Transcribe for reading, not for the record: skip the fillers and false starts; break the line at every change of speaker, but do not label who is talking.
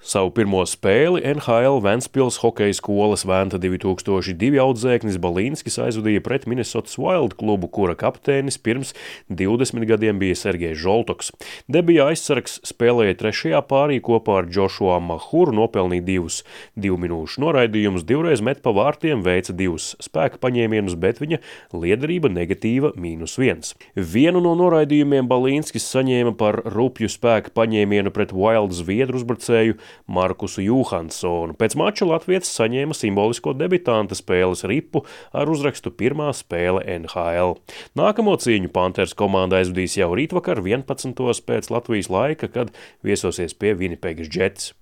Savu pirmo spēli NHL Ventspils hokeja skolas Venta 2002 audzēknis Balīnskis aizvadīja pret Minnesotas Wild klubu, kura kapteinis pirms 20 gadiem bija Sergejs Žoltoks. Debija aizsargs spēlēja trešajā pārī kopā ar Džošua Mahuru, nopelnīja 2 minūšu noraidījumus, 2 met pa vārtiem, veica 2 spēka paņēmienus, bet viņa liederība negatīva -1. Vienu no noraidījumiem Balīnskis saņēma par rupju spēka paņēmienu pret Wild zviedru uzbrucēju Markusu Johansonu. Pēc mača latvietis saņēma simbolisko debitanta spēles ripu ar uzrakstu pirmā spēle NHL. Nākamo cīņu Panthers komanda aizvadīs jau rītvakar 11. pēc Latvijas laika, kad viesosies pie Winnipegas Jets.